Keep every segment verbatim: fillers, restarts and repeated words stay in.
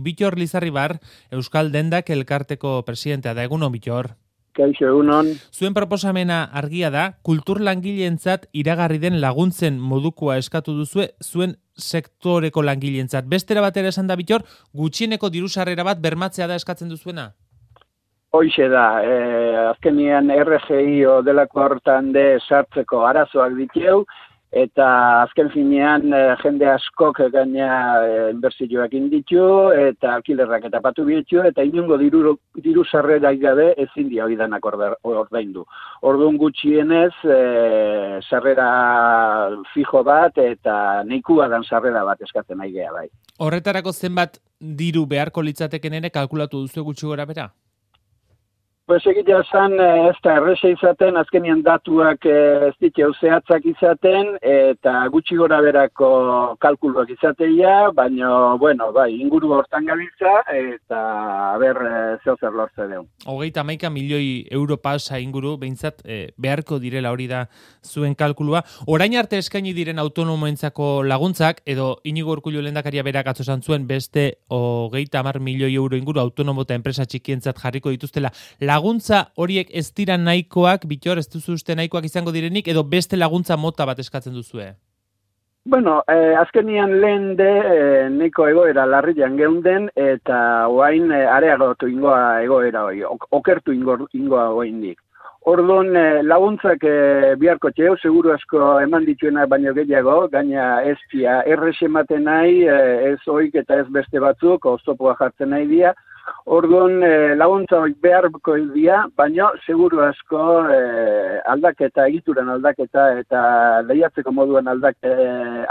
Bittor Lizarribar, Euskal Dendak elkarteko presidentea da. Egunon, Bittor. Kaixo, egunon. Zuen proposamena argia da, kultur langileentzat iragarri den laguntzen modukoa eskatu duzue zuen sektoreko langileentzat. Bestera batera esan da, Bittor, gutxieneko diru sarrera bat bermatzea da eskatzen duzuena? Hoixe da, eh, azkenian R G I o delako hortan de sartzeko arazoak ditu, eta azken finean eh, jende askok gaina eh, inbertsioak inditu, eta alkilerrak eta patu bitu, eta inungo diru, diru sarrera gabe ezin dia hori danak ordaindu. Orduan gutxienez, eh, sarrera fijo bat, eta neikua dan sarrera bat eskatzen nahi geha bai. Horretarako zenbat diru beharko litzateken ere kalkulatu duzu gutxi gora bera? Pues egitea zan, ez da erresa izaten, azkenian datuak ez ditu zehatzak izaten, eta gutxi gora berako kalkuluak izateia, baina, bueno, bai, inguru hortan gabiltza, eta ber zeo zer lortze deun. Hogeita hamaika milioi euro pasa inguru, behintzat eh, beharko direla hori da zuen kalkulua. Orain arte eskaini diren autonomoentzako laguntzak, edo Inigo Urkullu lehendakaria berak atzo esan zuen beste hogeita hamar milioi euro inguru autonomo eta enpresa txikientzat jarriko dituztela. Laguntza horiek ez dira nahikoak, Bittor, ez duzu uste nahikoak izango direnik, edo beste laguntza mota bat eskatzen duzue? Bueno, eh, azkenian lehen de eh, nahiko egoera larrian geunden, eta oain eh, areagotu ingoa egoera hori, ok, okertu ingo, ingoa oaindik. Orduan eh, laguntzak eh, biharko txeu, seguru asko eman dituena baino gehiago, gaina ez pia errex ematen nahi, eh, ez oik eta ez beste batzuk, oztopoa jartzen nahi dia. Orduan eh, laguntza hori beharko dira, baina seguru asko eh, aldaketa, egituran aldaketa eta lehiatzeko moduan aldake,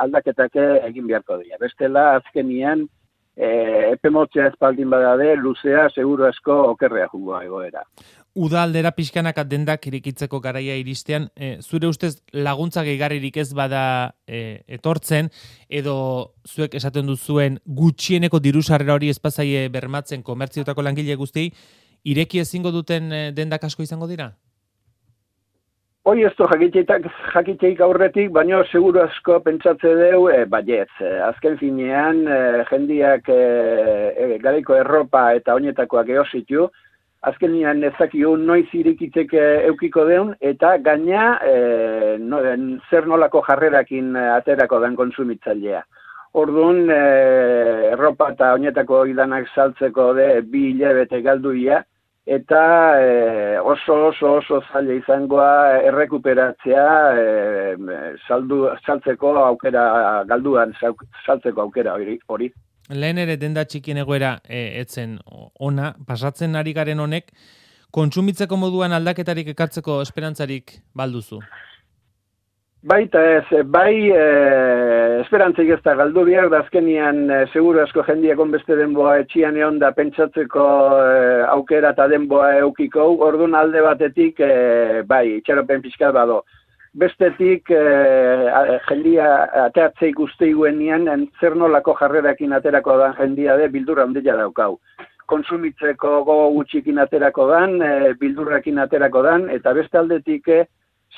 aldaketak egin beharko dira. Bestela azkenian eh, epemotzea espaldin badade, luzea seguru asko okerrea jungoa egoera. Uda aldera pixkanak dendak irikitzeko garaia iristean, e, zure ustez laguntza gehigarririk ez bada e, etortzen, edo zuek esaten duzuen gutxieneko diru sarrera hori espazaie bermatzen komertziotako langile guztiei, ireki ezingo duten e, dendak asko izango dira? Hoi ez du jakiteik aurretik, baina seguru asko pentsatze deu, e, baietz. Azken finean, e, jendiak e, e, garaiko erropa eta oinetakoak eositu, azkenian ezakiu noiz irikitzeke eukiko deun, eta gaina e, no, zer nolako jarrerakin aterako den konsumitzailea. Orduan, e, erropa eta oinetako idanak saltzeko de bi hilabete galduia, eta e, oso oso oso zaila izangoa errekuperatzea e, saldu, saltzeko aukera, galduan saltzeko aukera hori. Lehen ere denda txikien egoera e, etzen ona, pasatzen ari garen honek, kontsumitzeko moduan aldaketarik ekartzeko esperantzarik balduzu? Baita ez, bai e, esperantzik ez da galdu behar, da azkenian e, seguru asko jendiak onbeste denboa etxian egon da pentsatzeko e, aukera eta denboa eukiko, orduan alde batetik e, bai, itxaropen pixkat bado. Bestetik, eh, jendia ateatzei guzti guenian, zer nolako jarrerakin aterako dan jendia de bildurra handia daukau. Konsumitzeko gogo gutxikin aterako dan, eh, bildurrakin aterako dan, eta beste aldetik eh,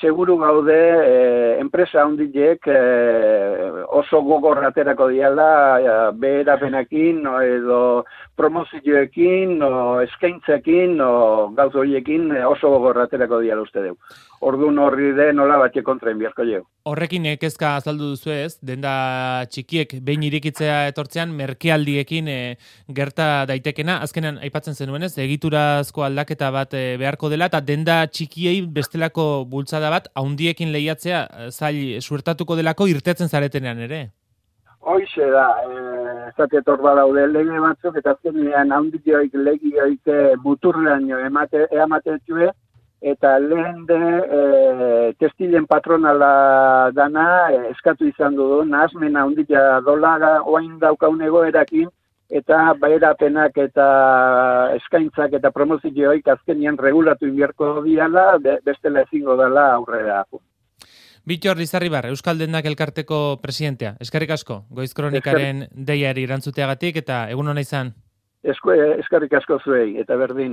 seguru gaude eh, enpresa handiek eh, oso gogor aterako diala eh, beherapenakin, no, edo promozioekin, no, eskaintzekin, no, gauz horiekin eh, oso gogor aterako diala uste deu. Orduan horri de nola batxe kontra inbiarko jau. Horrekin kezka azaldu duzu ez, denda txikiek behin irikitzea etortzean, merkealdiekin e, gerta daitekena, azkenan aipatzen zenuenez, egiturazko aldaketa bat e, beharko dela, eta denda txikiei bestelako bultzada bat, haundiekin lehiatzea, zail suertatuko delako irtetzen zaretenean ere. Hoize da, ez datetor badaude lege batzuk, eta azkenean haundioik legioik muturrean emate, eamatetue, eta lehen de e, testilen patronala dana e, eskatu izan du, nahazmena handia dolara oain daukaun egoerakin, eta beherapenak eta eskaintzak eta promozioik azkenian regulatu inbierko diala, bestela ezingo dela aurrera. Bittor Lizarribar, Euskal Dendak elkarteko presidentea. Eskerrik asko, Goiz Kronikaren deiari erantzuteagatik, eta egun hona izan. Eskerrik asko zuei, eta berdin.